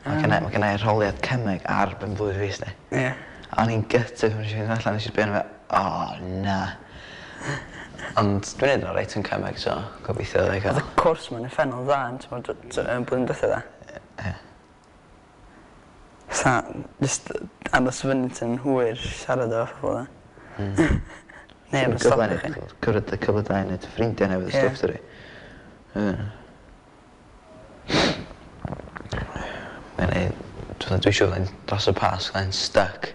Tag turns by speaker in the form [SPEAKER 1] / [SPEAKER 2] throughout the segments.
[SPEAKER 1] Mae gennai arholiad cemeg ar ben blwydd fi, sti. A o'n i'n gutted pan nes i fynd allan, nes i sbio arno fe, o na. Ond dwi'n neud yn oreit yn cemeg, so gobeithio ddai
[SPEAKER 2] Oedd
[SPEAKER 1] cael.
[SPEAKER 2] y cwrs ma'n uffernol dda yn t'mod blwyddyn diwetha dda.
[SPEAKER 1] Ie.
[SPEAKER 2] Sa jyst aros fyny tan hwyr siarad efo pobl dda. Neb yn stopio chi.
[SPEAKER 1] Cyfle cyfle da i neud ffrindiau newydd a stwff dydi. Ie. Mae'n neud, dwi'n siŵr fyddai'n dros y Pasg fyddai'n stuck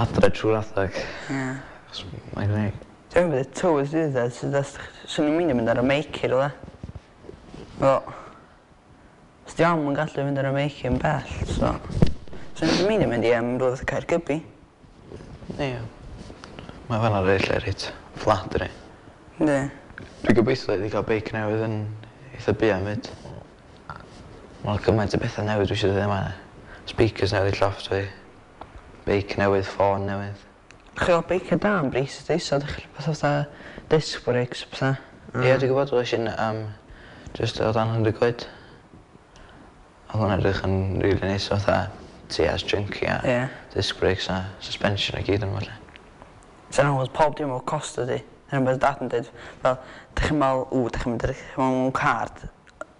[SPEAKER 1] adre trwy'r adag. Achos mae'n gwneud.
[SPEAKER 2] Dwi'n mynd y tywydd sydd dda, sydd dda, swn i'n mynd i mynd ar y meic i rywle. Wel, os di am yn gallu mynd ar y meic yn bell, so swn i'n mynd i mynd i rywle Caergybi.
[SPEAKER 1] Ie. Mae fan'na reit lle reit flat dydi.
[SPEAKER 2] Yndi.
[SPEAKER 1] Dwi'n gobeithio iddi gael beic newydd yn eitha buan 'fyd. Mae gymaint o bethau newydd dwi eisiau dod yma. Speakers newydd i llofft fi. Beic newydd, ffôn newydd.
[SPEAKER 2] Chi gael beic da am bris ydy, so ydych chi pethau fatha disc brakes a pethau.
[SPEAKER 1] Ie, dwi'n gwybod, oes un just o dan 100 quid. Oedd hwnna'n edrych yn really nice, fatha TS junky a disc brakes a suspension a gyd yn falle.
[SPEAKER 2] So yna oedd pob dim o cost ydy. Dyna beth dad yn dweud, fel, dych chi'n meddwl, ww, dych chi'n mynd mewn car,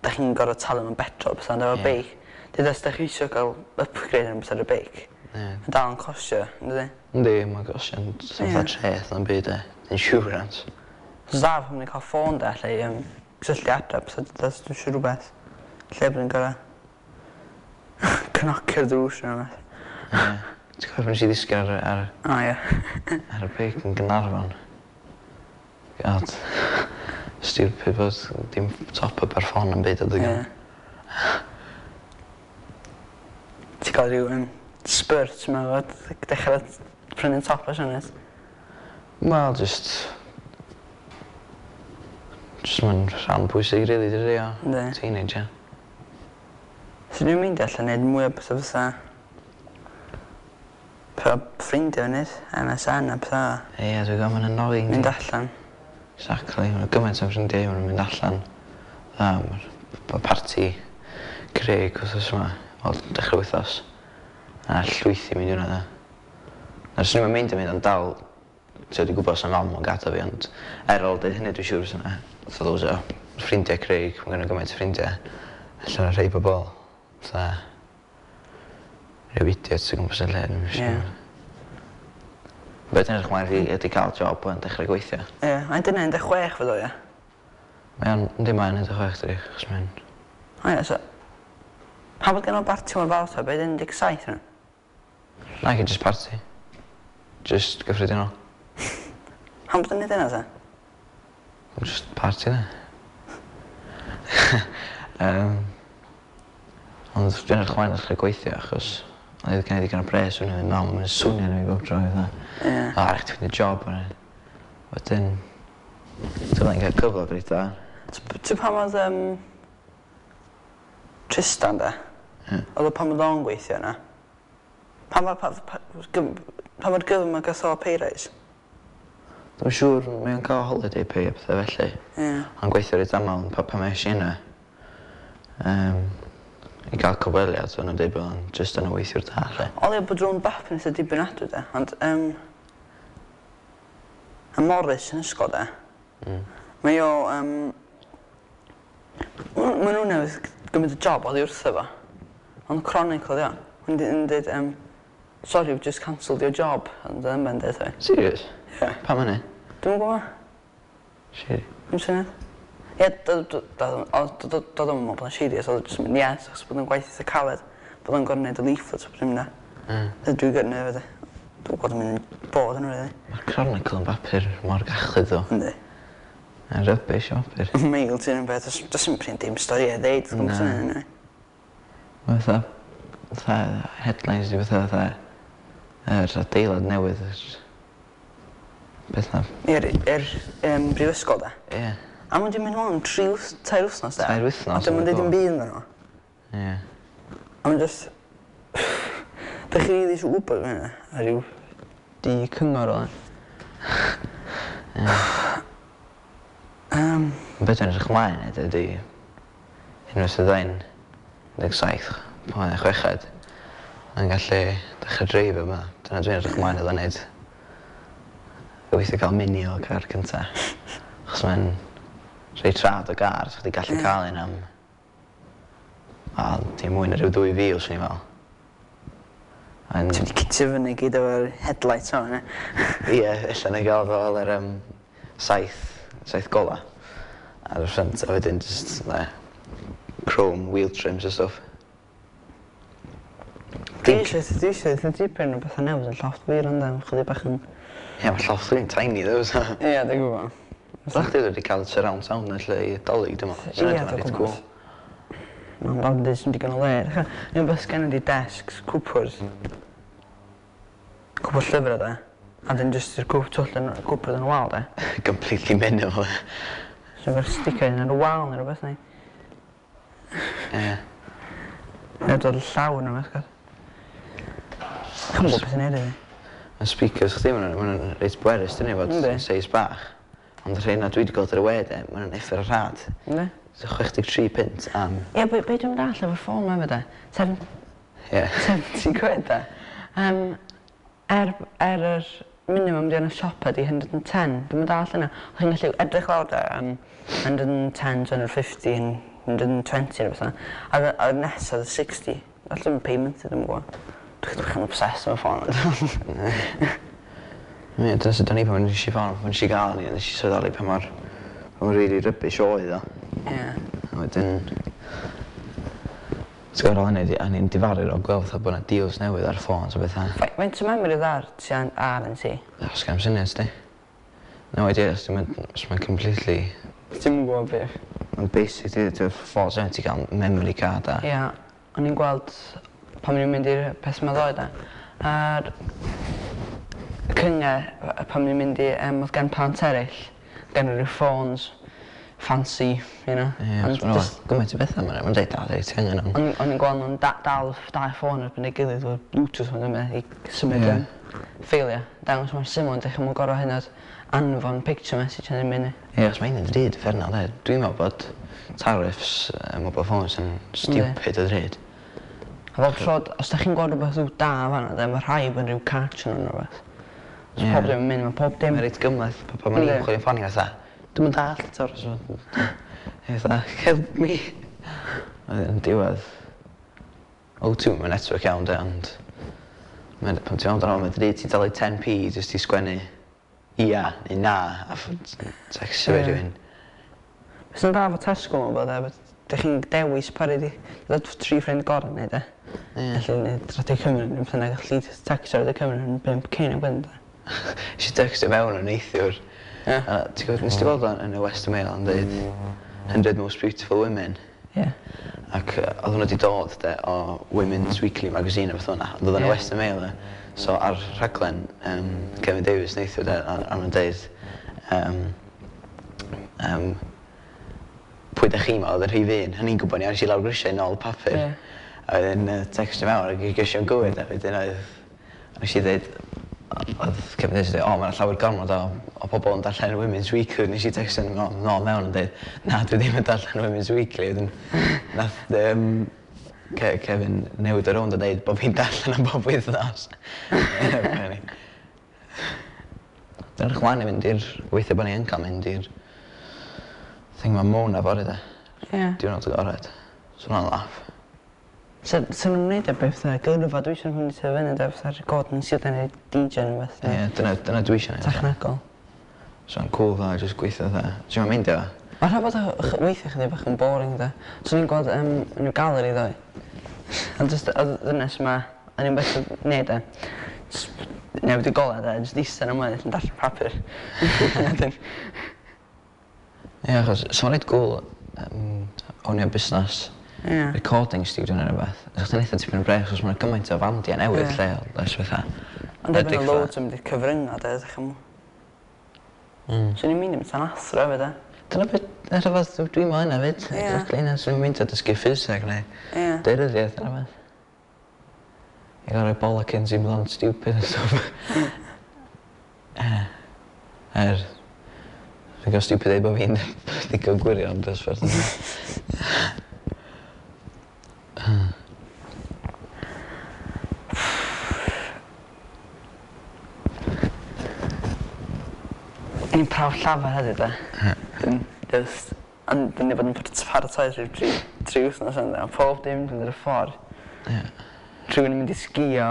[SPEAKER 2] dych chi'n gorfod talu mewn petrol, pethau, ond efo beic. Dyd os dych chi eisiau cael upgrade yn beth ar y beic, mae'n dal yn costio, ynddi?
[SPEAKER 1] Yndi, mae'n costio, ond fatha treth na'n byd e. Insurance.
[SPEAKER 2] So da pan ni'n cael ffôn da, lle cysylltu adre, pethau, dyd os dwi'n siŵr rhywbeth, lle bydd yn gorfod cnocio'r drws neu rhywbeth.
[SPEAKER 1] Ie. Ti'n cofio pan nes i ddisgyn ar
[SPEAKER 2] O ie.
[SPEAKER 1] ar y beic yn Gaernarfon? God. Stupid bod dim top up ar ffôn yn byd adeg yna.
[SPEAKER 2] Ti'n cael rhyw spurt yma fod, dechrau prynu top o Sioned.
[SPEAKER 1] Wel, just mae'n rhan bwysig, really, dydi o?
[SPEAKER 2] Yndi.
[SPEAKER 1] Teenager.
[SPEAKER 2] So dwi'n mynd allan neud mwy o pethau fatha pethau ffrindiau wneud, MSN a pethau.
[SPEAKER 1] Ie, dwi'n gwybod, mae'n annoying.
[SPEAKER 2] Mynd allan.
[SPEAKER 1] Exactly, mae'n gymaint o ffrindiau mae'n mynd allan. Dda, mae'r parti Craig wythnos yma, wel, dechrau wythnos. A llwythi mynd i hwnna, dda. Na, swn i'n mynd i mynd ond dal, ti'n dwi'n gwybod sa'n mam yn gadael fi, ond er ôl dweud hynny dwi'n siŵr fysa yna. Fatha loads o ffrindiau Craig, mae gen gymaint o ffrindiau. Allan o rhai bobl, fatha, rhyw idiots o gwmpas y lle, dwi'n siŵr. Be dwi'n edrych mlaen i ydy cael job yn dechrau gweithio.
[SPEAKER 2] Ie, yeah, dyna 16 fod o, ie.
[SPEAKER 1] Mae o'n, yndi mae'n 16 dydi, achos mae'n.
[SPEAKER 2] O ie, so pa bod gen o barti mor fawr ta, beth 17 yna?
[SPEAKER 1] Na, just party. Just gyffredinol.
[SPEAKER 2] Pam bod yn neud yna ta?
[SPEAKER 1] Just party de. Ond dwi'n edrych mlaen dechrau gweithio achos oedd gen i ddigon o pres o'n i'n mam yn swnio arno fi bob tro fatha. O, rhaid ti ffeindio job o'n. Wedyn, dwi'n cael cyflog reit dda.
[SPEAKER 2] Ti'n pam oedd Tristan de?
[SPEAKER 1] Ie.
[SPEAKER 2] Oedd o pan oedd o'n gweithio yna? Pa mor gyflym mae gath o pay rise?
[SPEAKER 1] Dwi'n siŵr mae o'n cael holiday pay a pethau felly. Ond gweithio reit aml pan mae eisiau yna. I gael cyfweliad, o'n nhw'n dweud bod o'n just yn y weithiwr da, lle.
[SPEAKER 2] O leia bod rhywun bap yn eitha dibynadwy de, ond y Morris yn ysgol de, mae o, ma' nhw newydd gymryd y job oddi wrtho fo. Ond Chronicle dio. Yn dweud, "Sorry, we've just cancelled your job." Ond yn ben dweud fi.
[SPEAKER 1] Serious?
[SPEAKER 2] Ie.
[SPEAKER 1] Pam hynny?
[SPEAKER 2] Dwi'm yn gwybod.
[SPEAKER 1] Shit.
[SPEAKER 2] Ddim syniad. Ie, doedd o'm yn meddwl bod o'n serious, oedd o jyst yn mynd, yes, achos bod o'n gwaith eitha caled, bod o'n gorfod neud y leaflets a bob dim de. Dwi'n gyrru efo de. Dwi'n gwybod yn mynd bod yn really.
[SPEAKER 1] Mae'r Chronicle yn bapur mor gachlyd ddo.
[SPEAKER 2] Yndi.
[SPEAKER 1] Mae'n rubbish o bapur.
[SPEAKER 2] Mail ti'n un beth, does dim print dim stori a ddeud, dwi'n
[SPEAKER 1] Na.
[SPEAKER 2] syniad yna.
[SPEAKER 1] Mae fatha headlines di fatha yr adeilad newydd, yr beth na.
[SPEAKER 2] I'r brifysgol de.
[SPEAKER 1] Ie.
[SPEAKER 2] A mae'n di mynd nôl am 3, 4 wythnos de.
[SPEAKER 1] 3 wythnos,
[SPEAKER 2] A dim yn
[SPEAKER 1] o'n
[SPEAKER 2] deud dim
[SPEAKER 1] go.
[SPEAKER 2] byd amdano fo. A mae'n just... Dych chi rili eisiau gwybod fe hynna? A ryw di cyngor o.
[SPEAKER 1] Be dwi'n edrych ymlaen i ydy unwaith fyddai'n 17, pan o'n i'n chweched, yn gallu dechrau dreifio yma. Dyna dwi'n edrych ymlaen iddo wneud. Gobeithio cael Mini o car cynta. Achos mae'n reit rhad o gar, so chdi gallu cael un am, wel, dim mwy na rhyw 2000, swn i'n meddwl.
[SPEAKER 2] Ti'n mynd i kitio fyny gyd efo'r headlights o'n, e?
[SPEAKER 1] Ie, ella na i gael fel yr saith gola ar y front, a wedyn just, na, chrome wheel trims a stuff.
[SPEAKER 2] Dwi eisiau dipyn o bethau newydd yn llofft fi, rhan dan, chydig bach yn.
[SPEAKER 1] Ie, mae llofft fi'n tiny though, so.
[SPEAKER 2] Ie, dwi'n gwybod.
[SPEAKER 1] Sa chdi wedi cael surround sound yn lle i Dolig, dwi'n meddwl.
[SPEAKER 2] Ie,
[SPEAKER 1] Dwi'n
[SPEAKER 2] dwi'n
[SPEAKER 1] reit
[SPEAKER 2] gwybod.
[SPEAKER 1] cool.
[SPEAKER 2] Mae'n dal yn dweud sy'n digon o le. Ni'n beth gen i desks, cwpwrdd. Cwpwrdd llyfrau de. A dyn just yr cwp twll yn cwpwrdd yn y wal de.
[SPEAKER 1] Completely minimal.
[SPEAKER 2] So fe'r sticker yn y wal neu rhywbeth neu.
[SPEAKER 1] Ie.
[SPEAKER 2] Neu dod llaw yn rhywbeth, gwybod. Ch'm gwybod beth sy'n neud i fi.
[SPEAKER 1] Y speakers chdi, ma' nhw'n reit bwerus, dyn ni, fod seis bach. Ond y rhai na dwi wedi gweld ar y we, de, ma' nhw'n uffar o rhad.
[SPEAKER 2] Yndi?
[SPEAKER 1] So 63 punt am.
[SPEAKER 2] Ie, be dwi'n dall efo'r ffôn ma efo de? 70 quid de. Er yr minimum di yn y siop ydi 110. Dwi'n dall yna. Chi'n gallu edrych lawr de, 110, 250, 120 neu beth yna. A nesaf oedd 60. Allan payment, dwi'n gwybod. Dwi'n chydig yn obsessed efo ffôn.
[SPEAKER 1] Ie, dyna sut o'n i pan nes i ffôn, pan nes i gael ni, nes i sylweddoli pa mor really rubbish oedd o. A wedyn, ti'n gwybod, ar ôl hynny, o'n i'n difaru o gweld fatha bod 'na deals newydd ar ffôns a bethau.
[SPEAKER 2] Faint o memory oedd ar ti ar yn ti?
[SPEAKER 1] Os gael syniad, sti. No idea, os ti'n mynd, os mae'n completely.
[SPEAKER 2] Ti'n mynd gwybod beth?
[SPEAKER 1] Mae'n basic, ti'n ffôns newydd, ti'n cael memory card a.
[SPEAKER 2] Ie, o'n i'n gweld pan o'n i'n mynd i'r peth yma ddoe da. A'r cyngor, pan o'n i'n mynd i, oedd gen plant eraill, gen rhyw ffôns fancy.
[SPEAKER 1] Ie,
[SPEAKER 2] Ond
[SPEAKER 1] os ma'n gymaint o bethau ma'n dweud, da, dweud, ti angen am.
[SPEAKER 2] O'n i'n gweld nhw'n dal dau ffôn erbyn ei gilydd efo Bluetooth o'n yma i symud ffeiliau. Dangos mor syml, ond ddechrau mwyn gorau hyn oed anfon picture message yn mynd.
[SPEAKER 1] Ie, os mae'n ddrud, uffernol, de. Dwi'n meddwl bod tariffs mobile phones yn stupid o ddrud.
[SPEAKER 2] A bob tro, os da chi'n gweld rhywbeth rhyw da fan'na, de, mae rhaid bod yn rhyw catch yn rhywbeth. So pob dim yn mynd, mae pob dim.
[SPEAKER 1] Mae'n reit gymhleth, pa pan mae'n chwilio ffôn i fatha, dwi'n mynd all eto, so, fatha, "Help me." Yn diwedd, O2, mae'n network iawn, de, ond pan ti'n meddwl amdano, mae'n ddrud, ti'n talu 10p jyst i sgwennu ia neu na, a textio fe rhywun.
[SPEAKER 2] Beth sy'n dda efo Tesco mae'n bod, e, dych chi'n dewis pa rhaid i ddod tri ffrind gorau neu de. Felly, neu Radio Cymru, neu beth bynnag, gallu textio Radio Cymru yn 5 ceiniog wedyn, de.
[SPEAKER 1] Nes i textio mewn yn neithiwr. A ti'n gwybod, nes ti gweld o'n yn y Western Mail yn dweud 100 Most Beautiful Women?
[SPEAKER 2] Ie.
[SPEAKER 1] Ac oedd hwnna wedi dod de, o Women's Weekly magazine a beth o'na, ond oedd yn y Western Mail de. So ar rhaglen Kevin Davies neithiwr de, a nhw'n deud pwy da chi'n meddwl oedd y rhif un? O'n i'n gwybod ni, nes i lawr grisiau i nôl papur. A wedyn textio mewn ac i geisio yn gywir, a wedyn oedd, nes i dweud, oedd Kevin Davies yn dweud, "O, mae'n llawer gormod o pobl yn darllen Women's Weekly." Nes i textio nôl mewn yn dweud, "Na, dwi ddim yn darllen Women's Weekly." Wedyn, nath Kevin newid o rownd a dweud bod fi'n darllen am bob wythnos. Funny. Dwi'n edrych mlaen i fynd i'r, gobeithio bod ni yn cael mynd i'r thing ma Mona fory de. Diwrnod agored. So hwnna'n laff.
[SPEAKER 2] So nhw'n gwneud e beth fatha gyrfa, dwi eisiau nhw'n tyfu fyny de, fatha Gordon sydd yn ei DJ neu beth.
[SPEAKER 1] Ie, dyna dwi eisiau neud.
[SPEAKER 2] Technegol.
[SPEAKER 1] So yn cool dda, jyst gweithio dda. Ti'n meindio?
[SPEAKER 2] Mae rhaid bod weithio chydig bach yn boring de. So ni'n gweld yn y galeri ddoe. Ond just oedd ddynes yma, o'n i'n beth yn neud e. Just newid y golau de, just eistedd yn ymlaen yn darllen papur. Wedyn,
[SPEAKER 1] Ie, achos so mae'n reit cool ownio busnes recording studio neu rhywbeth. Os chdi'n eitha tipyn o bres, achos mae'n gymaint o fandiau newydd lleol, oes fatha.
[SPEAKER 2] Ond erbyn
[SPEAKER 1] Enwedig
[SPEAKER 2] y loads yn mynd i'r cyfryngau de, ydych chi'n. So ni'n mynd i mynd tan athro hefyd de.
[SPEAKER 1] Dyna beth, dyna rhywbeth dwi'n meddwl hynna fyd. Exactly, hynna, swn i'n mynd o dysgu ffiseg neu daearyddiaeth neu rhywbeth. I gael rhoi bollocins i blant stupid and stuff. Ie. Er, dwi'n gael stupid dweud bod fi'n ddigon gwirion dros ffordd yna.
[SPEAKER 2] Ni'n prawf llafar heddiw 'de. Dwi'n jyst ond dwi 'di bod yn paratoi ers ryw 3 wythnos ŵan a pob dim 'di mynd ar y ffor.
[SPEAKER 1] Ie.
[SPEAKER 2] Rhywun yn mynd i sgïo,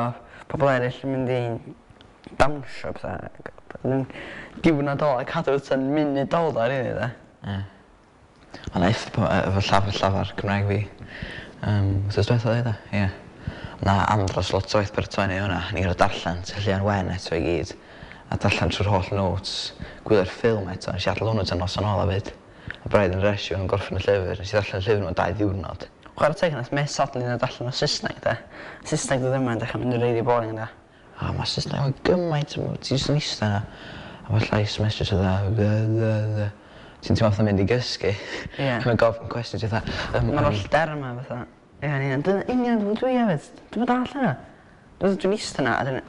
[SPEAKER 2] pobol eryll yn mynd i dawnsio a petha ag yn diwrnod ola cadw tan munud ola rili 'de?
[SPEAKER 1] Ie. Ond eith efo llafar llafar Cymraeg fi wthnos dwetha oedd e? Ie. Na andros lot o waith paratoi neu' hwnna. O'n i gor'o' darllen Tylluan Wen eto i gyd. A darllen trw'r holl notes, gwylio'r ffilm eto, nes i adal hwnnw tan noson ola 'fyd. A braidd yn rush i fod yn gorffen y llyfr. Nes i ddarllen y llyfr mewn 2 ddiwrnod.
[SPEAKER 2] Chware teg nath mêt suddenly ddod allan o Saesneg 'de. Saesneg dod yma yn dechra mynd yn rili boring 'de.
[SPEAKER 1] O ma' Saesneg yn gymaint ti jyst yn ista 'na a ma' llais mistress fatha Ti'n teimlo fatha mynd i gysgu.
[SPEAKER 2] Ie.
[SPEAKER 1] Mae'n gofyn cwestiwn ti fatha yym
[SPEAKER 2] Ma'r holl derma fatha ie yn union dyna union fel dwi hefyd. Dwi'm yn dall hynna. Dwi'n ista 'na a 'dyn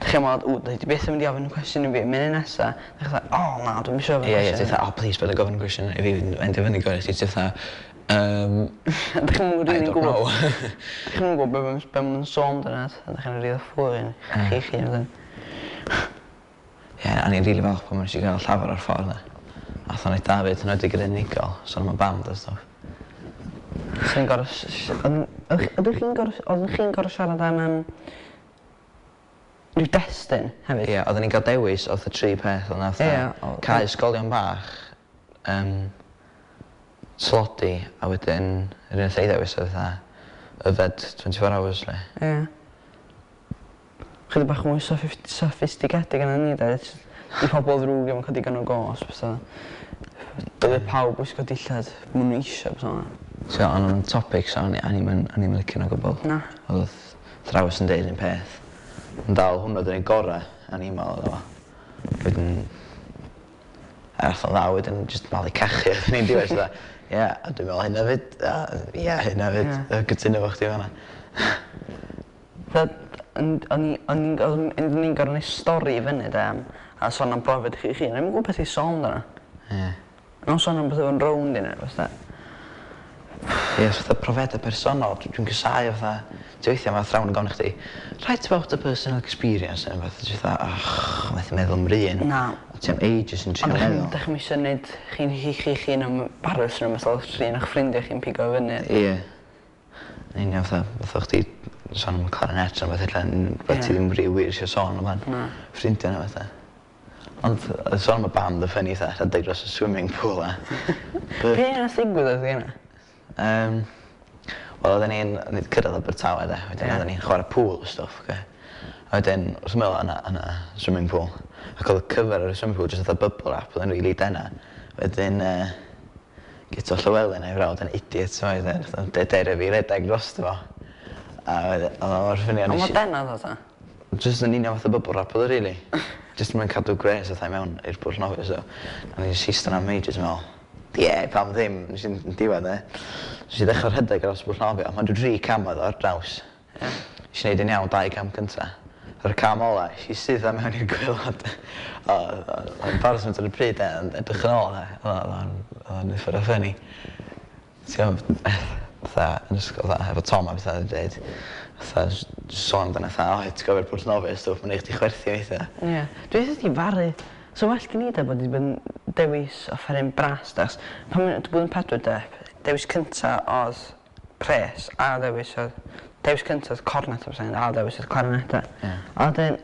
[SPEAKER 2] Dych chi'n meddwl, ww, dwi byth yn mynd i ofyn y cwestiwn i fi, munud nesa, dych chi'n o na, dwi'm isio ofyn
[SPEAKER 1] cwestiwn. Ie, ie, ti'n fatha, oh please, paid â gofyn y cwestiwn i fi, endio fyny gofyn i chdi, ti'n fatha,
[SPEAKER 2] Dych chi'm yn rili'n gwybod. Dych chi'm yn gwybod be' ma' nhw'n sôn amdano, dych chi'n rili ffwrn chi'ch hun wedyn.
[SPEAKER 1] Ie, o'n i'n rili falch pan nes i gael llafar ar ffordd 'na. Ath o'n eitha 'fyd, yn enwedig yr unigol, sôn am y band a stwff.
[SPEAKER 2] Chi'n gor'o' ydych chi'n gor'o' oeddech chi'n gor'o' siarad am yym rhyw destun hefyd?
[SPEAKER 1] Ie, oedden ni'n cael dewis odd y tri peth o'dd 'na fatha cau ysgolion bach, tlodi, a wedyn yr un nath ei ddewis oedd fatha yfed 24 hours 'lly.
[SPEAKER 2] Ie. Chydig bach mwy soffistigedig na ni 'de 'di pobol ddrwg ddim yn ca'l digon o gosb so dyle pawb wisgo dillad ma' n'w isio a petha fel 'na.
[SPEAKER 1] So o'n nw'n topics o'n i o'n i'm yn o'n i'm yn licio n'w o gwbwl.
[SPEAKER 2] Na.
[SPEAKER 1] O'dd athrawes yn deud un peth. Ond dal hwnna 'di'r un gora' o'n i'n me'wl iddo fo. Wedyn ath o'n dda wedyn jyst malu cachu oeddwn i'n diwedd fatha ie a dwi'n me'wl hynna 'fyd a ie hynna 'fyd. Yy cytuno efo chdi fan 'na.
[SPEAKER 2] Fel o'n i o'n i'n o'n i'n gor'o' neu' stori i fyny 'de am a sôn am brofiad chi hun. O'n i'm yn gwbo beth i sôn amdano.
[SPEAKER 1] Ie.
[SPEAKER 2] O'n sôn am petha yn rownd i neu rwbeth 'de.
[SPEAKER 1] Ie os fatha profiada personol dwi'n casáu fatha ti weithia' ma' athrawon yn gofyn i chdi write about a personal experience ne' wbath a ti fatha och methu meddwl am 'r un.
[SPEAKER 2] Na.
[SPEAKER 1] A ti am ages yn trio meddwl.
[SPEAKER 2] Ond 'dach chi'm isio neud chi'n chi chi'ch hun am embarrass ne' wbath os un o'ch ffrindia chi'n pigo fyny.
[SPEAKER 1] Ie. Yn union fatha fatha chdi sôn am y clarinet ne' wbath ella n- ti ddim rili wir isio sôn amdan.
[SPEAKER 2] Na.
[SPEAKER 1] Ffrindia ne' fatha. Ond yy sôn am y band y funny fatha rhedeg dros y swimming pool a...
[SPEAKER 2] Be' nath ddigwydd adeg yna?
[SPEAKER 1] Wel odden ni'n o'n i 'di cyrradd Abertawe 'de wedyn odden ni'n chware pool a stwff oce? A wedyn wrth ymyl o' 'na o' 'na swimming pool ac o'dd y cyfer ar y swimming pool jyst fatha bubble wrap o'dd o'n rili dena. Wedyn Guto Llywelyn a'i frawd yn idiots oedd e nath o derio fi redag drosto fo. A oedd o mor funny
[SPEAKER 2] a nes i... O mor dena odd o ta?
[SPEAKER 1] Jyst yn union fatha bubble wrap oedd o rili. Jyst mwyn cadw gwres fatha i mewn i'r pwll nofio so o'n i jyst ista 'na am ages yn me'wl ie pam ddim nes i'm yn diwedd e. Nes i ddechra rhedeg dros y pwll nofio mond ryw dri cam oedd o ar draws.
[SPEAKER 2] Ie.
[SPEAKER 1] Nes i neud yn iawn dau cam cynta. Yr cam ola es i syth mewn i'r gwaelod. O o o embarrassment ar y pryd 'de ond edrych yn ôl 'de o'dd o'n o'dd o'n uffar o funny. Ti gwbo fatha yn ysgol fatha efo Tom a petha yn deud fatha sôn amdano fatha o ti'n cofio'r pwll nofio a stwff ma'n neu' chdi chwerthin weithia.
[SPEAKER 2] Ie. Dwi eitha difaru. So well gen i 'de bod 'di bod yn dewis offeryn bras 'de 'chos pan o'n i blwyddyn pedwar 'de dewis cynta o'dd pres a ddewis o'dd dewis cynta o'dd cornet a ail dewis o'dd clarinet 'de.
[SPEAKER 1] Ie.
[SPEAKER 2] A wedyn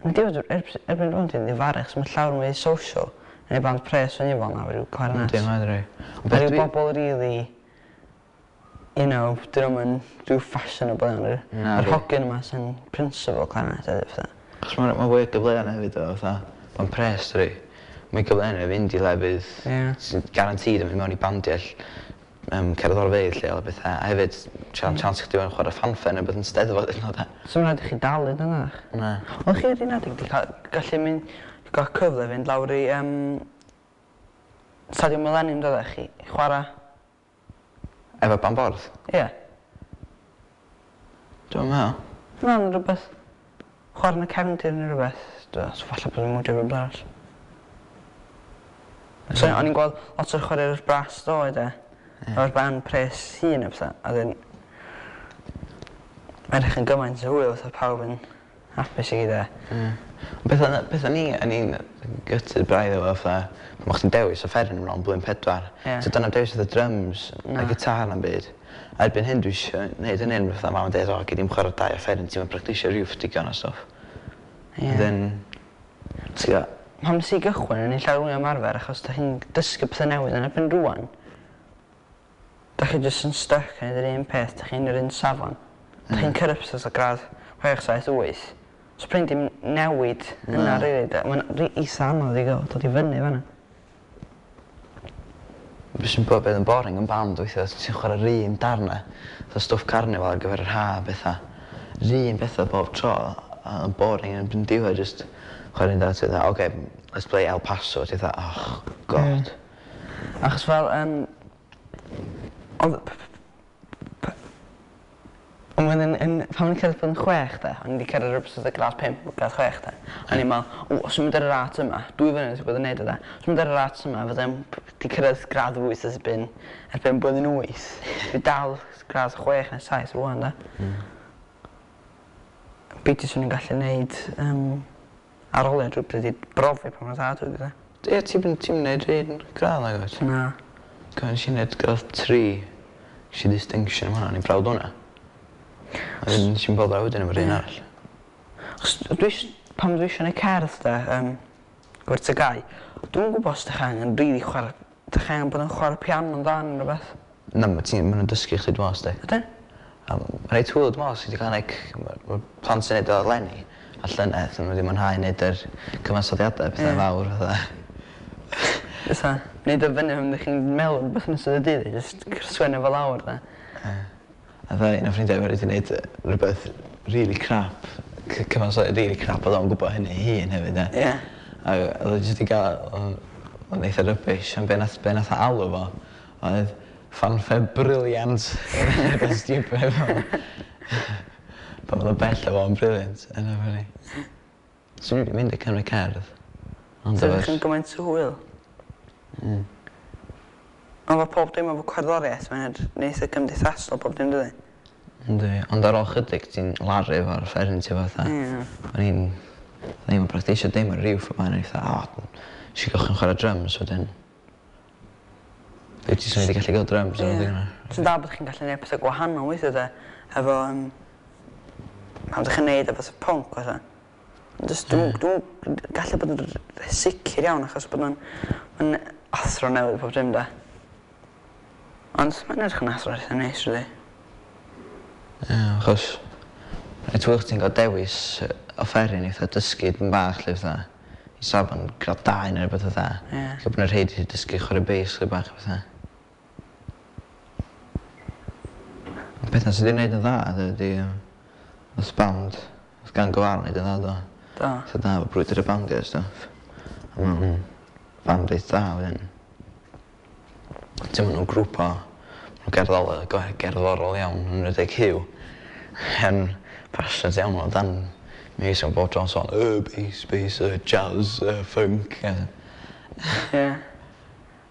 [SPEAKER 2] yn diwedd erbyn rŵan dwi'n difaru achos ma' llawer mwy social yn y band pres o'n i efo na ryw clarinet.
[SPEAKER 1] Yndi mae rei.
[SPEAKER 2] Ma' ryw bobol rili you know 'dyn nw'm yn rhyw fashionable iawn yr...
[SPEAKER 1] Na.
[SPEAKER 2] Yr hogyn yma sy'n principal clarinet hefyd fatha.
[SPEAKER 1] Achos ma' ma' fwy o gyfleon hefyd o fatha ma'n pres dydi? Mwy gyfleon i fynd i lefydd...
[SPEAKER 2] Ie.
[SPEAKER 1] ...sy'n guaranteed yn mynd mewn i bandia cerddorfeydd lleol a petha a hefyd chance chdi fewn chware ffanffer ne' wbath yn Steddfod hyd yn o'd 'de?
[SPEAKER 2] So ma' raid i chi dalu dynach?
[SPEAKER 1] Na.
[SPEAKER 2] O'ch chi ar un adeg 'di ca'l gallu mynd ga'l cyfle fynd lawr i Stadiwm Millennium doeddech chi i chwara?
[SPEAKER 1] Efo band borth?
[SPEAKER 2] Ie.
[SPEAKER 1] Dwi'm yn me'wl.
[SPEAKER 2] Na ma' rwbeth chwara yn y cefndir ne' rwbeth. So falle bod fi'n mwdio rwbeth arall. So o'n i'n gweld lot o chwaraewyr brass ddoe 'de. Efo'r band pres hun a petha, a 'dyn mae'n edrych yn gymaint o hwyl fatha pawb yn hapus i gyd a...
[SPEAKER 1] Ie. Ond petha petha ni o'n i'n gutted braidd efo fatha pan o' chdi'n dewis offeryn yn ôl blwyddyn pedwar.
[SPEAKER 2] Ie.
[SPEAKER 1] So dyna dewis fatha drums
[SPEAKER 2] Na.
[SPEAKER 1] a gitar na'm byd. A erbyn hyn dwi isio neud hynny yn fatha mam yn deud o gei di'm chwara dau offeryn ti'm yn practisio rywff digon a stwff.
[SPEAKER 2] Ie.
[SPEAKER 1] Then
[SPEAKER 2] Ti gwbo, pan nes i gychwyn o'n i'n llawer mwy o ymarfer achos 'dach chi'n dysgu petha newydd yn erbyn rŵan 'dach chi jyst yn styc yn neud yr un peth 'dach chi'n yr un safon. 'Dach chi'n cyrraedd petha fatha gradd 6 7 8. So prin dim newid yna rili 'de ma'n eitha anodd i ga'l dod i fyny fan 'na.
[SPEAKER 1] Be' sy'n bo' bydd yn boring yn band weithia' ti'n chwarae'r un darna fatha stwff carnival ar gyfer yr ha' a petha. 'R un petha bob tro a yn boring yn yn diwedd jyst chwarae'r un darn ti fatha oce let's play El Paso ti fatha oh God.
[SPEAKER 2] Ie. Achos fel odd Ond wedyn yn pan o'n i'n cyrraedd blwyddyn chwech 'de o'n i 'di cyrraedd rywbeth fatha gradd pump gradd chwech 'de o'n i'n me'wl o os dwi'n mynd ar y rât yma 2 flynedd dwi bod yn neud o 'de os dwi'n mynd ar y rât yma fyddai'n 'di cyrraedd gradd wyth erbyn blwyddyn wyth. Dwi dal gradd chwech ne' saith rŵan 'de? Beidio swn i'n gallu neud arholiad rywbryd i brofi pa mor dda dwi 'de.
[SPEAKER 1] Ie ti'm yn ti'm yn neud un gradd nagwyt?
[SPEAKER 2] Na.
[SPEAKER 1] Co' nesh i neud gradd tri gesh i distinction am hwnna o'n i'n proud o wnna. A wedyn nesh i'm boddran wedyn efo'r un arall.
[SPEAKER 2] 'Chos dwi pan dwi isio neud cerdd 'de efo'r TGAU dwi'm yn gwbo os 'dach angen rili chwara 'dach chi angen bod yn chwara piano'n dda ne' rwbeth.
[SPEAKER 1] Na ma' ti'n ma' nw'n dysgu chdi dwi me'wl sti.
[SPEAKER 2] Ydyn?
[SPEAKER 1] A ma' reit hwyl dwi me'wl os ti 'di ca'l like ma' plant sy'n neud o eleni a llynedd ma' n'w 'di mwynhau neud yr cyfansoddiade a petha fawr fatha.
[SPEAKER 2] Fatha neud o fyny pan 'dych chi'n meddwl rwbeth yn ystod y dydd a jyst sgwennu fo lawr 'de.
[SPEAKER 1] Ie. A ddoe un o ffrindiau fi wedi neud rwbeth rili crap cyfansoddiad rili crap o'dd o'n gwbo hynny 'i hun hefyd 'de.
[SPEAKER 2] Ie.
[SPEAKER 1] A o'dd o jyst 'di ga'l o'n eitha rubbish ond be' nath be' nath o alw fo oedd fanfare brilliant. Rwbeth stupid fel 'na. Pan o'dd o bell o fo' yn brilliant enough funny. Swn i 'di mynd i cymryd cerdd. Ond
[SPEAKER 2] Sa
[SPEAKER 1] efo'r...
[SPEAKER 2] ddech yn gymaint o hwyl. Ond ma' pob dim efo cerddoriaeth mae'n eitha cymdeithasol pob dim dydi?
[SPEAKER 1] Yndi ond ar ôl chydig ti'n laru efo'r offeryn ti fatha.
[SPEAKER 2] Ie.
[SPEAKER 1] O'n i'n o'n i'm yn practisio dim ar ryw ffor o'n i fatha o nesh i gychwyn chware dryms wedyn Dwi jyst wedi gallu ga'l dryms ar ôl hynna.
[SPEAKER 2] Sy'n da bod chi'n gallu neud petha gwahanol weithia 'de efo pan 'dych chi'n neud e fatha pwnc fatha. Jyst dwi'm dwi'm gallu bod yn sicir iawn achos bod o'n ma'n athro newydd pob dim 'de? Ond mae'n edrych yn athro eitha neis rili.
[SPEAKER 1] Ie achos reit hwyl chdi'n ga'l dewis offeryn eitha dysgu dipyn bach 'lly fatha i safon gradd dau ne' rwbeth fatha.
[SPEAKER 2] Ie.
[SPEAKER 1] Lle bo' 'na rhei 'di dysgu chware bass chydig bach a petha. Ond petha sy 'di neud yn dda ydi nath band nath Gang of War neud yn dda do?
[SPEAKER 2] Do.
[SPEAKER 1] Eitha da efo Brwydyr y Bandia a stwff. A ma' nw'n band reit dda wedyn. Ti'n ma' nw'n grŵp o ma' nw'n gerddol gerddorol iawn yn enwedig Huw. Yn passionate iawn amdan miwsig bob tro'n sôn bass bass jazz funk a
[SPEAKER 2] Ie.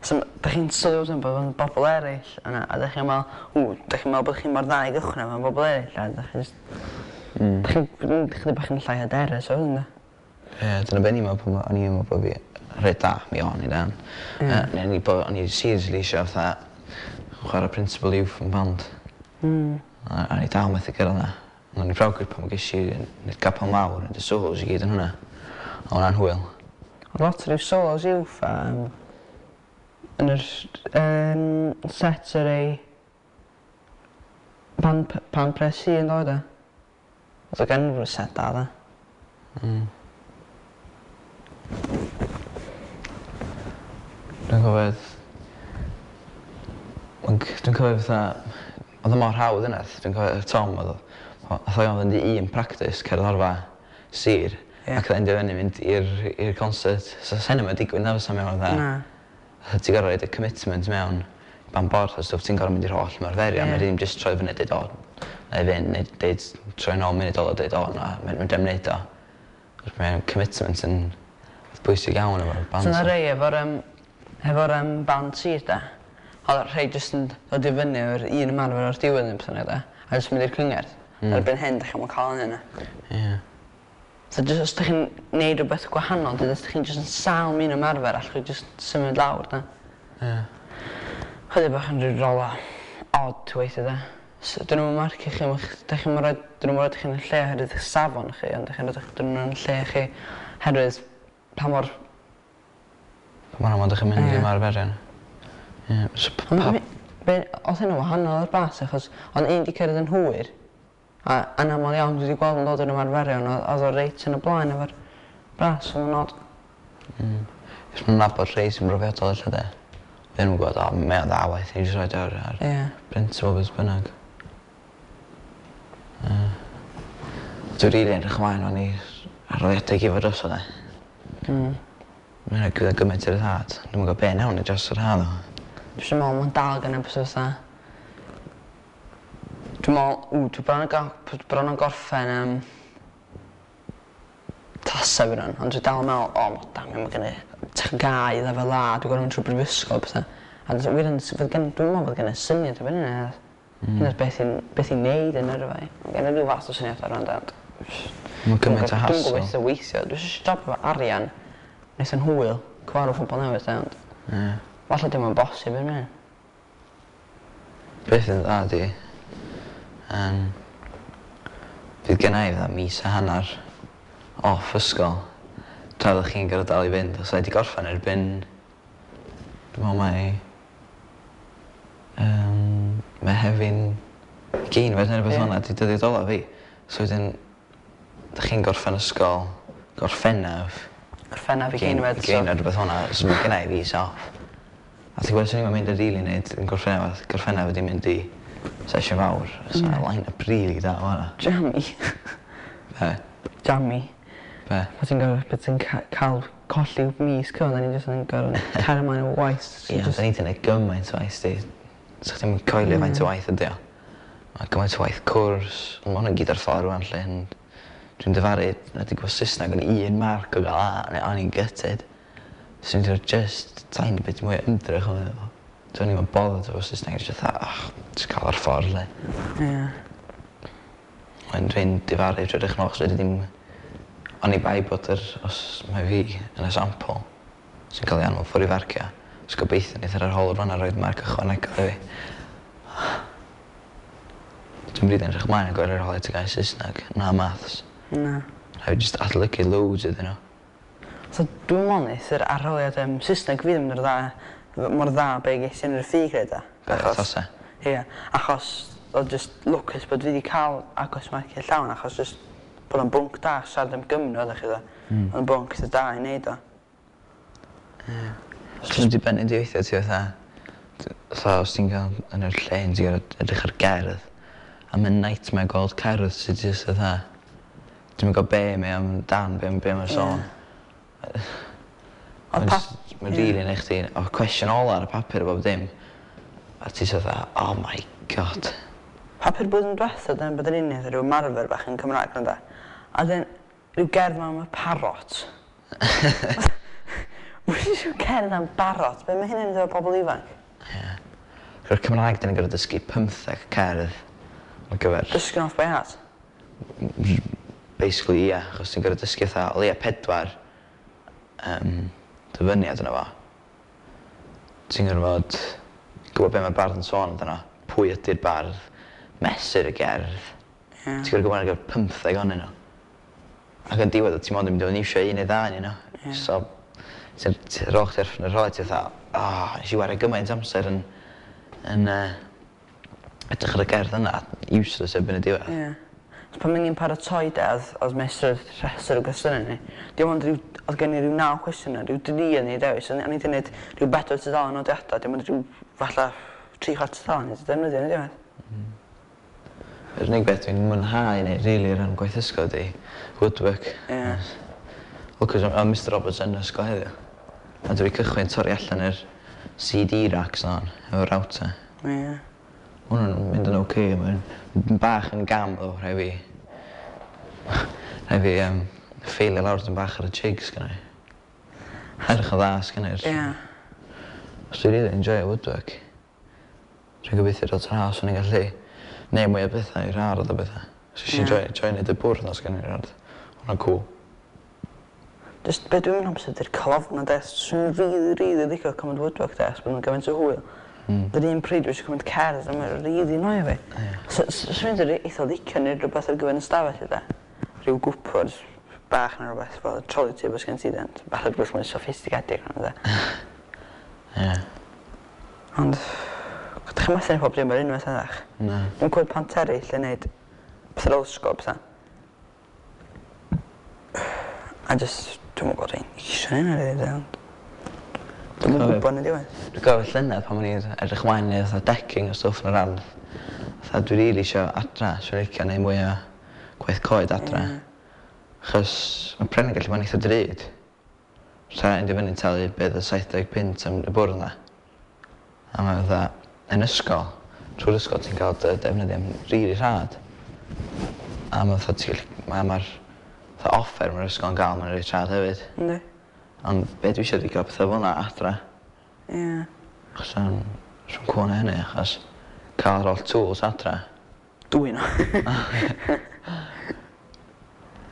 [SPEAKER 2] So 'dach chi'n sylwi wedyn bod yn bobol eraill yna a 'dach chi'n me'wl ww 'dach chi'n me'wl bod chi mor dda i gychwyn efo bobol eraill a 'dach chi jyst... 'Dach chi'n chydig bach yn llai hyderus wedyn 'de?
[SPEAKER 1] Ie dyna be' o'n i'n me'wl pan o'n i'n me'wl bo' fi reit da mi o'n i de.
[SPEAKER 2] Ie.
[SPEAKER 1] Ne' o'n i bo' o'n i seriously isio fatha chwara principal youth yn band. A o'n i dal methu gyrradd 'na. Ond o'n i proud pan gesh i neud capel mawr neud y solos i gyd yn hwnna. O' wnna'n hwyl.
[SPEAKER 2] O'dd lot o ryw solos uwch a yn yr set yr ei band pres hi yn dod e? O'dd o gen rw set da dde.
[SPEAKER 1] Dwi'n cofio dwi'n cofio fatha o'dd o mor hawdd yna dwi'n cofio Tom o'dd o nath o fynd i un practis cerddorfa sir
[SPEAKER 2] Ie.
[SPEAKER 1] ac o'dd endio fyny mynd i'r concert. So sa hynny 'im yn digwydd na fysa mewn fatha...
[SPEAKER 2] Na.
[SPEAKER 1] Fatha ti gor'o' roid y commitment mewn band Borth a stwff ti'n gor'o' mynd i'r holl ymarferion
[SPEAKER 2] Ie.
[SPEAKER 1] ma' ddim jyst troi fyny a deud o 'nai fynd neu deud troi nôl munud ola deud o na medrai 'im neud o. 'Chos mae'n commitment yn bwysig iawn efo'r band.
[SPEAKER 2] So 'na rei efo'r band sir 'de. Oedd rhai jyst yn dod i fyny o'r un ymarfer o'r diwedd yn pethau de, a jyst mynd i'r cyngerdd. Erbyn hyn, dych chi'n cael hynna.
[SPEAKER 1] Ie.
[SPEAKER 2] So jyst os dych chi'n neud rhywbeth gwahanol, dyd os dych chi'n jyst yn sâl mewn ymarfer, allwch chi jyst symud lawr, da.
[SPEAKER 1] Ie.
[SPEAKER 2] Chydig bach yn rhyw rola odd weithie de. So, dyn nhw'n marcio chi, dych chi'n rhoi, dyn nhw'n rhoi chi'n lle oherwydd eich safon chi, ond dych chi'n rhoi dyn nhw'n lle chi oherwydd pa mor.
[SPEAKER 1] Pa mor aml dych chi'n mynd i ymarferion. Ie. So,
[SPEAKER 2] Ond oedd hynny'n wahanol o'r bas, achos oedd un 'di cyrraedd yn hwyr, a anaml iawn dwi wedi gweld yn dod yn ymarferion, oedd o reit yn y blaen efo'r bras, oedd o'n od.
[SPEAKER 1] Cos ma'n nabod rhei sy'n brofiadol ella de. Dyn nhw'n gwybod, o, mae o'n dda waith, ni jyst rhoid o ar principle beth bynnag. Ie. Dwi'n rili edrych ymlaen o'n i arholiadau i fod drosodd de. Mae'n rhaid gyda gymaint i'r rhyddhad. Dwi'm yn gwybod be nawn ni dros yr haf ddo.
[SPEAKER 2] Dwi jyst yn meddwl mae'n dal gan y fatha. Dwi'n meddwl, ww, dwi bron yn bron yn gorffen tasa fi rwan, ond dwi dal yn meddwl, o, oh, damn, mae gen i TGAU, lefel A, dwi'n gorfod mynd trwy brifysgol, pethau. A dwi'n wir yn, fydd gen, dwi'n meddwl bod gen i syniad o hynny. Hynny'n beth i'n neud yn yrfa i. Mae gen i ryw fath o syniad ar rhan ond
[SPEAKER 1] Mae'n gymaint o
[SPEAKER 2] Dwi'n
[SPEAKER 1] hassle.
[SPEAKER 2] gwybod beth weithio. Dwi eisiau job efo arian, nes yn hwyl, cyfarfod pobl newydd, de, ond falle dim yn bosib yn mynd.
[SPEAKER 1] Beth yn dda di, fydd gen i fatha mis a hanner off ysgol tra ddech chi'n gorfod dal i fynd. Os wedi gorffen erbyn, dwi'n meddwl mai Mehefin 20fed neu rhywbeth fel 'na 'di dyddiad ola fi. So wedyn, dych chi'n gorffen ysgol Gorffennaf.
[SPEAKER 2] Gorffennaf 20fed,
[SPEAKER 1] so neu rhywbeth fel 'na, so mae gen i fis off. A ti'n gwybod, swn i'm yn mynd i rili neud yn Gorffennaf, Gorffennaf wedi mynd i sesiwn fawr. So line-up rili da o hwnna.
[SPEAKER 2] Jammy.
[SPEAKER 1] Be?
[SPEAKER 2] Jammy.
[SPEAKER 1] Be?
[SPEAKER 2] Bod ti'n gorfod, bod ti'n cael colli mis cyfan, da ni jyst yn gorfod cario ymlaen efo waith.
[SPEAKER 1] Ie, da ni 'di neud gymaint o waith di. So chdi'm yn coelio faint o waith ydi o. Mae gymaint o waith cwrs, ond ma' hwnna gyd ar ffordd rŵan 'lly, ond dwi'n difaru, na 'di gweld Saesneg o'n un marc o gael A, neu o'n i'n gutted. So dwi'n dweud just tiny bit mwy o ymdrech o'n meddwl. Do'n i'm yn bothered efo Saesneg, jyst fatha, oh, just cael ar ffordd 'lly. Ond dwi'n difaru drwy edrych nôl, achos fedri ddim, oni bai bod yr, os mae fi yn y sampl sy'n cael ei anfon ffwrdd i farcio, so gobeithio neith yr arholwr fan'na roid marc ychwanegol i fi. Dwi'n rili edrych ymlaen at gweld yr arholiad TGAU Saesneg, na maths.
[SPEAKER 2] Na.
[SPEAKER 1] Rhaid fi jyst adolygu loads iddyn nhw.
[SPEAKER 2] So dwi'n meddwl neith yr arholiad Saesneg fi ddim yn dda, mor dda be ges i yn yr ffug rhaid.
[SPEAKER 1] Be, tasa?
[SPEAKER 2] Ie, achos oedd just lwcus bod fi wedi cael agos marciau llawn, achos just bod o'n bwnc da, siarad am Gymru oeddech chi dda. Oedd o'n bwnc eitha da i neud o.
[SPEAKER 1] Ie. Just dibynnu di weithiau ti fatha, fatha os ti'n cael yn yr lle ti'n gorfod edrych ar gerdd, a mae'n nightmare gweld cerdd sydd jyst fatha, dwi'm yn gwybod be mae am dan, be mae'n sôn.
[SPEAKER 2] Ond
[SPEAKER 1] Mae'n rili neud chdi, o cwestiwn ola ar y papur a bob dim, a ti jyst fatha, oh my god.
[SPEAKER 2] Papur blwyddyn diwetha, dyna bod yn unig rhyw ymarfer bach yn Cymraeg na da. A dyn, rhyw gerdd ma am y parrot. Wedi rhyw cerdd am barot? Be mae hynny'n dweud pobl ifanc?
[SPEAKER 1] Ie. Rwy'r Cymraeg, dyn ni'n gorfod dysgu 15 cerdd ar gyfer.
[SPEAKER 2] Dysgu off by heart?
[SPEAKER 1] Basically, ie, achos ti'n gorfod dysgu fatha o leia 4 dyfyniad yna fo. Ti'n gorfod gwybod be mae'r bardd yn sôn amdano, pwy ydy'r bardd, mesur y gerdd. Ti'n gorfod gwybod ar gyfer 15 ohonyn nhw. Ac yn diwedd, ti'n mond yn mynd i fod yn iwsio un neu ddau ohonyn nhw. So, ti'n rôl chdi ar y rôl, ti'n fatha, oh, nes i wario gymaint amser yn edrych ar y gerdd yna, useless erbyn y diwedd.
[SPEAKER 2] Ie. So pan ni'n paratoi de, oedd meistr rhestr o gwestiynau ni. Dim ond rhyw, oedd gen i ryw 9 cwestiynau, rhyw 3 yn ei dewis. O'n i wedi gwneud rhyw 4 tudalen nodiadau, dim ond rhyw falle 3/4 tudalen i defnyddio yn y diwedd.
[SPEAKER 1] Yr unig beth dwi'n mwynhau neu rili o ran gwaith ysgol ydi woodwork.
[SPEAKER 2] Ie.
[SPEAKER 1] Lwcus o Mr Roberts yn ysgol heddiw. A dwi wedi cychwyn torri allan yr CD racks na efo router.
[SPEAKER 2] Ie.
[SPEAKER 1] Ma' hwnna'n mynd yn oce, mae'n bach yn gam ddo, rhaid fi. Rhaid fi ffeilio lawr dyn bach ar y jigs gynna i. Edrych yn dda sgynna i'r.
[SPEAKER 2] Ie.
[SPEAKER 1] Os dwi'n rili enjoyo woodwork. Dwi'n gobeithio dod tra os o'n i'n gallu neud mwy o bethau i'r ardd a bethau. So nes i joio joio neud y bwrdd 'na sgen i'r ardd. Hwnna'n cŵl.
[SPEAKER 2] Just be dwi'n mynd amser 'di'r colofna de. Swn i'n rili rili licio cymryd woodwork de, achos bod nhw'n gymaint o hwyl. Yr un pryd dwi eisiau cymryd cerdd a mae'n rili annoio fi.
[SPEAKER 1] Ie.
[SPEAKER 2] So swn i'n eitha licio neud rhywbeth ar gyfer yn ystafell i de. Rhyw gwpwrdd bach neu rhywbeth fel trolley table sgen ti de. Falle rhywbeth mwy soffistigedig na de.
[SPEAKER 1] Ie.
[SPEAKER 2] Ond dych chi'n methu neud pob dim ar unwaith ydach?
[SPEAKER 1] Na.
[SPEAKER 2] Dwi'n clywed plant eraill yn neud petha fel ysgol a petha. A jyst dwi'm yn gwybod rhain eisiau hynna rili de ond dwi'm yn gwybod yn y diwedd.
[SPEAKER 1] Dwi'n cofio llynedd pan o'n i'n edrych ymlaen i neud fatha decking a stwff yn yr ardd. Fatha dwi rili isio adra, swn i'n licio neud mwy o gwaith coed adra. Achos ma' pren yn gallu bod yn eitha drud. Sa endio fyny'n talu be' odd y 70 punt am y bwrdd 'na. A ma' fatha yn ysgol, trwy'r ysgol ti'n ca'l dy defnyddio am rili rhad. A ma' fatha ti gallu ma' ma'r fatha offer ma'r ysgol yn ga'l ma'n reit rhad hefyd.
[SPEAKER 2] Yndi.
[SPEAKER 1] Ond be' dwi isio 'di ca'l petha fel 'na adra.
[SPEAKER 2] Ie.
[SPEAKER 1] Achos rhwng cŵl na hynny achos ca'l yr oll tools adra.
[SPEAKER 2] Dwy 'na.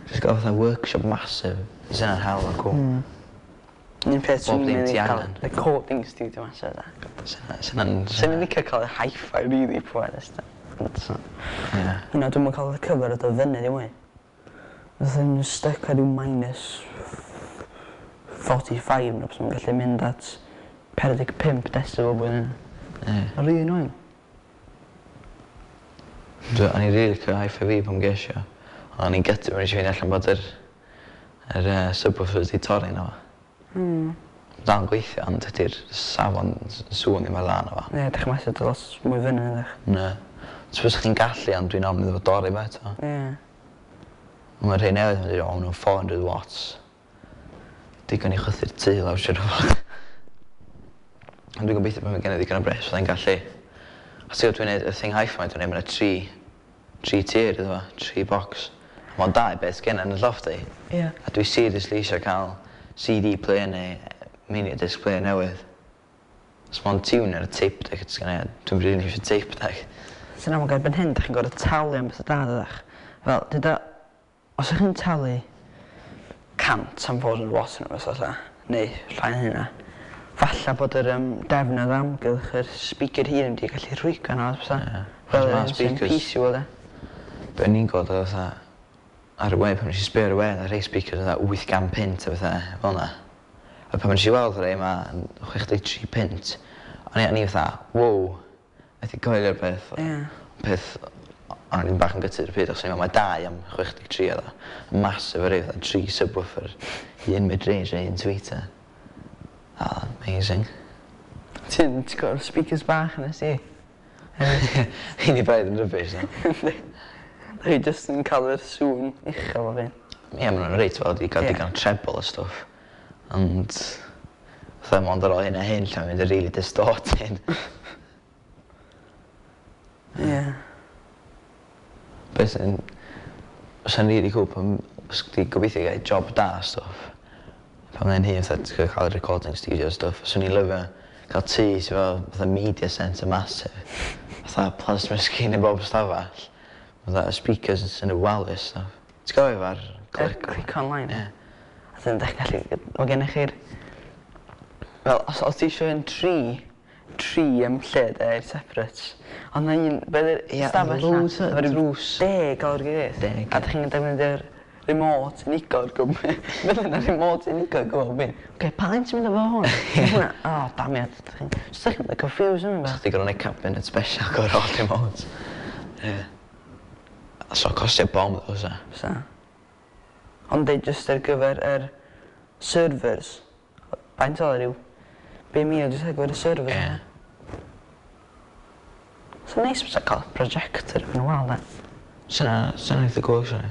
[SPEAKER 1] Jyst ga'l fatha workshop massive. Fysa hynna'n hell o cŵl.
[SPEAKER 2] Un peth
[SPEAKER 1] Bob
[SPEAKER 2] swn
[SPEAKER 1] dim
[SPEAKER 2] i'n
[SPEAKER 1] ti
[SPEAKER 2] licio ca'l
[SPEAKER 1] angen.
[SPEAKER 2] recording studio massive de.
[SPEAKER 1] Sa hynna'n...
[SPEAKER 2] Swn i'n licio ca'l y hi-fi really pwerus de. Ond so.
[SPEAKER 1] Ie.
[SPEAKER 2] Hwnna dwi'm yn ca'l y cyfer o dod fyny ddim mwy. Fatha yn stuck ar ryw minus 45 neu beth, gallu mynd at 45 decibel blwyddyn.
[SPEAKER 1] Ie.
[SPEAKER 2] Ma'n rili annoying.
[SPEAKER 1] O'n i'n rili licio hi-fi fi pan ges i o. Ond o'n i'n gutted pan nes i ffeindio allan bod yr subwoofer 'di torri yno fo. Dal yn gweithio ond dydi'r safon sŵn ddim mor dda yno fo.
[SPEAKER 2] Ie, dych chi'n methu dod lot mwy fyny ydych?
[SPEAKER 1] Na. So fysa chdi'n gallu ond dwi'n ofn iddo fo dorri fo eto.
[SPEAKER 2] Ie.
[SPEAKER 1] Ond ma' rhei newydd yn dweud o ma' nw'n 400 watts. Digon i chwythu'r tŷ lawr siŵr o fod. Ond dwi'n gobeithio pan ma' genna i ddigon o bres fyddai'n gallu. Achos ti'n gwbod dwi'n neud y thing hi-fi dwi'n neud ma' 'na tri tier iddo fo, tri box. A ma'n da i beth sgenna yn y llofft i.
[SPEAKER 2] Ie.
[SPEAKER 1] A dwi seriously eisiau cael CD player neu mini disc player newydd. Os ma'n tuner a tape deck sgenna i, dwi'n rili eisiau tape deck.
[SPEAKER 2] Sy'n amlwg erbyn hyn, dych chi'n gorfod talu am bethau da ydych. Fel, dyda, os ydych chi'n talu 100 am 400 watt neu rhywbeth fatha, neu llai na hynna, falle bod yr defnydd amgylch yr speaker hun wedi gallu rhwygo yna, os
[SPEAKER 1] Ie.
[SPEAKER 2] Fel
[SPEAKER 1] Ma'
[SPEAKER 2] yr un sy'n
[SPEAKER 1] speakers-
[SPEAKER 2] PC wel, e.
[SPEAKER 1] Be o'n i'n gweld oedd fatha ar y we, pan nes i sbio ar y we, oedd rhei speakers oedd 800 punt a bethau fel 'na. A pan nes i weld rhei yma yn 63 punt, o'n i fatha, wow, methu coelio'r peth.
[SPEAKER 2] Ie.
[SPEAKER 1] Peth, o'n i'n bach yn gutted ar y pryd, achos o'n i'n meddwl mae dau am 63 oedd o. Massive o rei, fatha tri subwoofer, un mid-range a un tweeter. Ah, amazing.
[SPEAKER 2] Ti'n gweld speakers bach nes i?
[SPEAKER 1] Hyn i braidd yn rubbish, no?
[SPEAKER 2] Chi jyst yn cael yr sŵn uchel o fi.
[SPEAKER 1] Ie, maen nhw'n reit fel wedi cael
[SPEAKER 2] Ie.
[SPEAKER 1] digon o treble a stwff. Ond, fatha mond ar ôl hyn a hyn, lle mae'n mynd yn really distorted.
[SPEAKER 2] Ie.
[SPEAKER 1] Beth sy'n... Sy'n really cool pan... Os chdi gobeithio gael job da a stwff. Pan mae'n hyn, fatha, ti'n cael recording studio a stwff. Swn i'n lyfio cael tŷ sydd fel fatha media centre massive. Fatha plasma screen yn bob stafell. Fatha speakers yn y wal a stwff. Ti'n cofio fo'r
[SPEAKER 2] Click, click online.
[SPEAKER 1] Ie.
[SPEAKER 2] A dyn dych chi'n gallu... Mae gennych chi'r... Fel, os ti eisiau un tri lle de, separate. Ond na un... Be ydy'r
[SPEAKER 1] Ie,
[SPEAKER 2] stafell na?
[SPEAKER 1] loads o
[SPEAKER 2] Efo ryw
[SPEAKER 1] drws.
[SPEAKER 2] 10 o'r gilydd.
[SPEAKER 1] 10.
[SPEAKER 2] A dych chi'n defnyddio'r remote unigol gwybod. Fel yna remote unigol gwybod beth. Oce, pa un ti'n mynd efo hwn? Hwnna. O, damiad. Just dych chi'n confused yn
[SPEAKER 1] Sa
[SPEAKER 2] mynd.
[SPEAKER 1] chdi gorfod neud cabinet special gyfer all remotes. Ie. So costio bom ddo, sa.
[SPEAKER 2] So. Ond deud just ar gyfer yr servers. Faint oedd ryw? 5,000 jyst ar gyfer y servers.
[SPEAKER 1] Ie.
[SPEAKER 2] So neis bysa cael projector yn y wal, de.
[SPEAKER 1] Sa'n eitha cool, actually.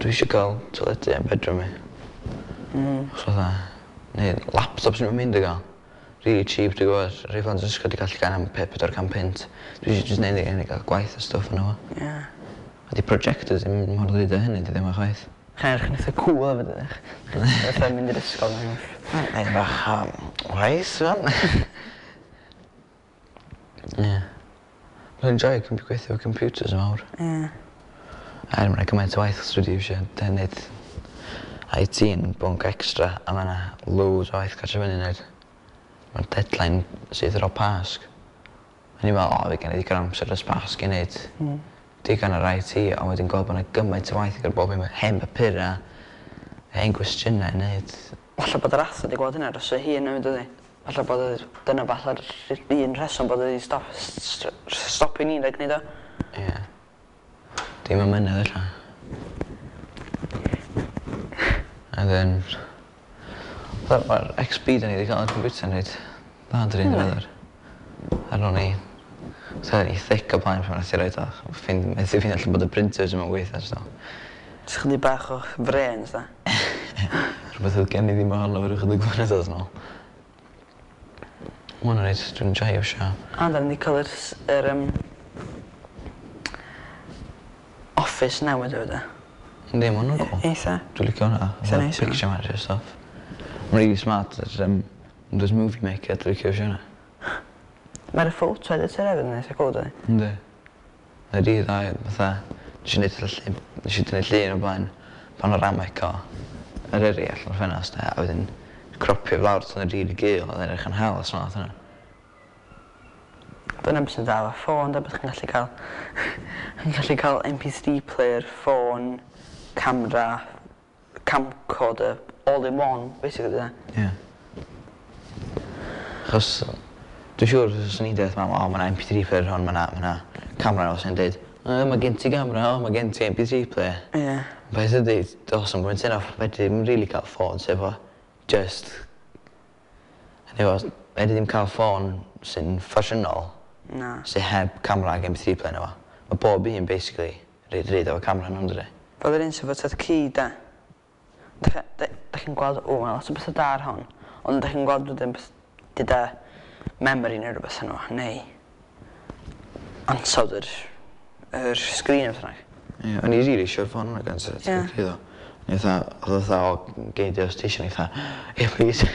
[SPEAKER 1] Dwi eisiau cael teledu yn bedroom mi. Achos fatha, neu laptop sy'n mynd i gael. Really cheap, dwi'n gwybod. Rhai plant yn ysgol di gallu gael am 400 punt. Dwi eisiau jyst neud i gael gwaith a stwff yn efo.
[SPEAKER 2] Ie.
[SPEAKER 1] A di projectors ddim mor ddrud â hynny, di ddim yn chwaith.
[SPEAKER 2] Chi'n edrych yn eitha cool hefyd, ydych? Fatha mynd i'r ysgol.
[SPEAKER 1] Neu bach o waith, fan. Ie. Mae'n enjoyo gweithio efo computers yn fawr.
[SPEAKER 2] Ie.
[SPEAKER 1] Er mae'n gymaint o waith dwi wedi iwsio neud IT yn bwnc extra a mae yna loads o waith catch fyny neud. Mae'r deadline sydd ar ôl Pasg. O'n i'n meddwl, o, fi gen i ddigon o amser dros Pasg i neud digon ar IT, ond wedyn gweld bod yna gymaint o waith gyda bob un hen papura, hen gwestiynau i neud.
[SPEAKER 2] Falle bod yr athro wedi gweld hynna dros ei hun hefyd, ydy. Falle bod dyna falle'r un rheswm bod wedi stopio ni rhag neud o.
[SPEAKER 1] Ie. Dim amynedd ella. And then fatha ma'r XP da ni wedi cael ar computer yn reit dda yn dyn ddiweddar. Ar ôl ni fatha ni thick o blaen pan nath i roid o methu ffeindio allan bod y printers ddim yn gweithio so.
[SPEAKER 2] Jyst chydig bach o frêns da.
[SPEAKER 1] Rhywbeth oedd gen i ddim ohono fo ryw chydig flynyddoedd nôl. Ma' hwnna'n reit, dwi'n joio iwsio.
[SPEAKER 2] A da ni 'di cael yr office newydd hefyd e.
[SPEAKER 1] Yndi, ma' hwnna'n cool.
[SPEAKER 2] Eitha.
[SPEAKER 1] Dwi'n licio hwnna.
[SPEAKER 2] Eitha neis hwnna.
[SPEAKER 1] Picture manager stuff. Mae'n really smart yr Windows Movie Maker, dwi'n licio iwsio hwnna.
[SPEAKER 2] Mae'r photo editor hefyd yn eitha cool, dydi?
[SPEAKER 1] Yndi. Mae'n rili dda, fatha, nes i neud llun, nes i dynnu llun o blaen panoramic o Eryri allan o'r ffenast a wedyn cropio fo lawr tan yn rili gul, oedd e'n edrych yn hel smart hwnna.
[SPEAKER 2] Dyna beth sy'n dda efo ffôn, da beth chi'n gallu cael chi'n gallu cael MP3 player, ffôn, camera, camcorder, all in one, basically, dyna.
[SPEAKER 1] Ie. Achos, dwi'n siŵr os o'n i'n deud mam, o, mae 'na MP3 player hwn, mae 'na camera os o'n deud, o, mae gen ti camera, o, mae gen ti MP3 player.
[SPEAKER 2] Ie.
[SPEAKER 1] Beth ydy, dos yn pwynt yna, fedri ddim really cael ffôn sef o just, efo, fedri ddim cael ffôn sy'n ffasiynol.
[SPEAKER 2] Na.
[SPEAKER 1] Sy'n heb camera ag MP3 player yna fo. Mae bob un, basically, reid efo camera nhw'n dydi.
[SPEAKER 2] Fel yr un sy'n fod ci, da. Da chi'n gweld, o, mae lot o bethau da ar hon, ond da chi'n gweld wedyn beth gyda memory neu rhywbeth yno, neu ansawdd yr sgrin o beth bynnag.
[SPEAKER 1] Ie, o'n i rili eisiau'r ffôn hwnna gan sydd
[SPEAKER 2] Ie.
[SPEAKER 1] iddo. O'n i fatha, oedd o fatha, o, gei di os ti eisiau, o'n i fatha, ie, please.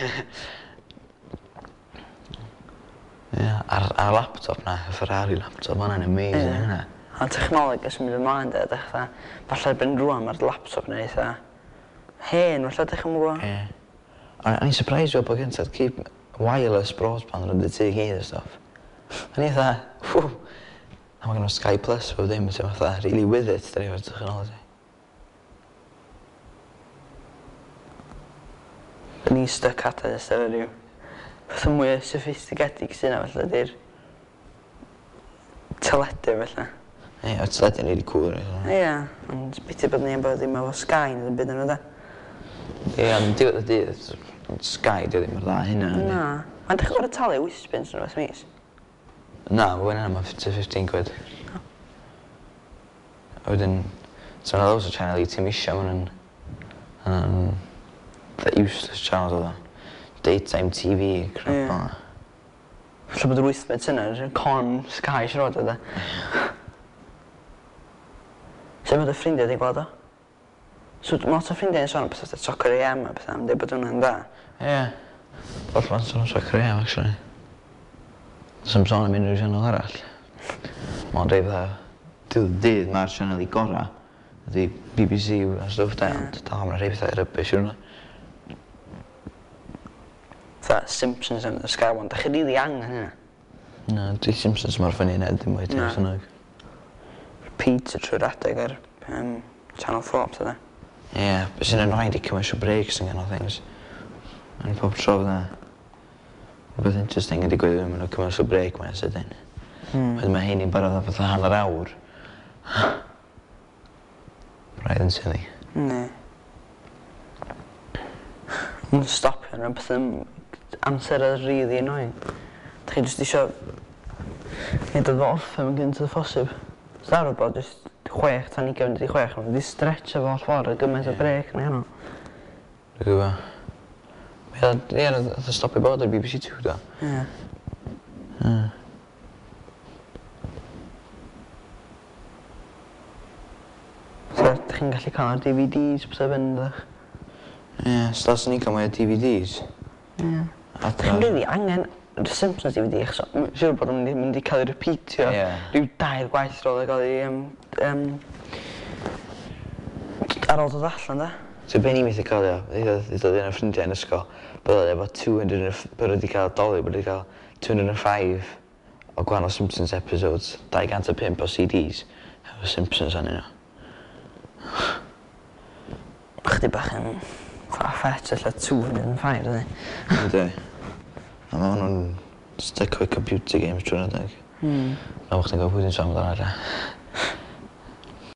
[SPEAKER 1] Ie, a'r laptop na, y Ferrari laptop, ma' hwnna'n amazing,
[SPEAKER 2] Ie.
[SPEAKER 1] hynna.
[SPEAKER 2] A technoleg yn symud ymlaen, de, dych fatha, falle erbyn rŵan mae'r laptop yn eitha hen, falle dych chi'n gwybod?
[SPEAKER 1] Ie. O'n i'n surprised weld bod gen ti wireless broadband yn y tŷ gyd a stuff. O'n i fatha, whew, a mae gen Sky Plus bob dim, sy'n fatha really with it, da ni efo'r technology.
[SPEAKER 2] Da ni'n stuck at it, efo rhyw peth mwy sophisticedig sy'n yna, felly, di'r teledu, felly.
[SPEAKER 1] Ie, o'r teledu'n really cool. Ie,
[SPEAKER 2] Ie, ond biti bod ni efo ddim efo Sky neu ddim byd yn da.
[SPEAKER 1] Ie, ond diwedd y dydd, Sky di ddim mor dda hynna. yndi?
[SPEAKER 2] Na. Mae'n dechrau gorfod talu 8 punt yn rhywbeth mis.
[SPEAKER 1] Na, mae hwnna ma 15 quid. A wedyn, so yna loads o channel i ti'n isio, ma' nhw'n the useless channels oedd o. Daytime TV, crap
[SPEAKER 2] Ie.
[SPEAKER 1] fel 'na.
[SPEAKER 2] Falle bod yr 8 punt yna, yn con Sky siarad oedd e. Sut mae dy ffrindiau wedi gweld o? So, mae lot o ffrindiau yn sôn am pethau fatha Soccer AM a pethau, am dweud bod hwnna'n dda.
[SPEAKER 1] Ie. Lot ma'n sôn am Soccer AM, actually. Does 'im sôn am unrhyw sianel arall. Mae'n dweud fatha, diwedd y dydd mae'r sianel i gora ydy BBC a stwff da, ond dal mae'n rhai pethau rubbish yw hwnna.
[SPEAKER 2] Fatha Simpsons and the Sky One, da chi rili angen hynna.
[SPEAKER 1] Na, di Simpsons mor ffynnu na, dim mwy
[SPEAKER 2] Na.
[SPEAKER 1] dim bynnag.
[SPEAKER 2] Repeat trwy'r adeg ar Channel 4, pethau da.
[SPEAKER 1] Ie, beth sy'n annoying di commercial breaks yn ganol things. Mae'n pob tro fydda rhywbeth interesting yn digwydd yn mynd o commercial break mae'n sydyn. Wedyn mae hyn i'n barod am fatha hanner awr. Braidd yn silly.
[SPEAKER 2] Ne. Mae'n stopio yn rhywbeth yn amser yn really annoying. Da chi jyst isio neud o orffen yn gynt â phosib. So ar bod jyst 5:40, mae'n di stretch efo holl ffordd a gymaint o
[SPEAKER 1] Ie.
[SPEAKER 2] break na hynny.
[SPEAKER 1] Dwi'n gwybod. Ie, ie, nath o stopio bod ar BBC Two do.
[SPEAKER 2] Ie.
[SPEAKER 1] Ie.
[SPEAKER 2] So, da chi'n gallu cael ar DVDs, pethau fynd, ddech.
[SPEAKER 1] Ie, so das ni'n cael mwy o DVDs.
[SPEAKER 2] Ie.
[SPEAKER 1] Adra.
[SPEAKER 2] Da chi'n rili angen The Simpsons DVD, achos siŵr bod o'n mynd i cael ei repeatio rhyw dair gwaith ar ôl i gael ei ar ôl dod allan, da.
[SPEAKER 1] So be ni'n methu cofio, ddeuddodd un o'r ffrindiau yn ysgol, bod o efo 200, bod wedi cael doli, bod wedi cael 205 o gwahanol Simpsons episodes, 205 o CDs, efo Simpsons arnyn nhw.
[SPEAKER 2] Chydig bach yn far-fetched, ella 205, ydy.
[SPEAKER 1] Yndi. A ma' hwnnw'n stuck with computer games trwy'r adeg. A bo' chdi'n gwybod pwy dwi'n sôn amdano ella.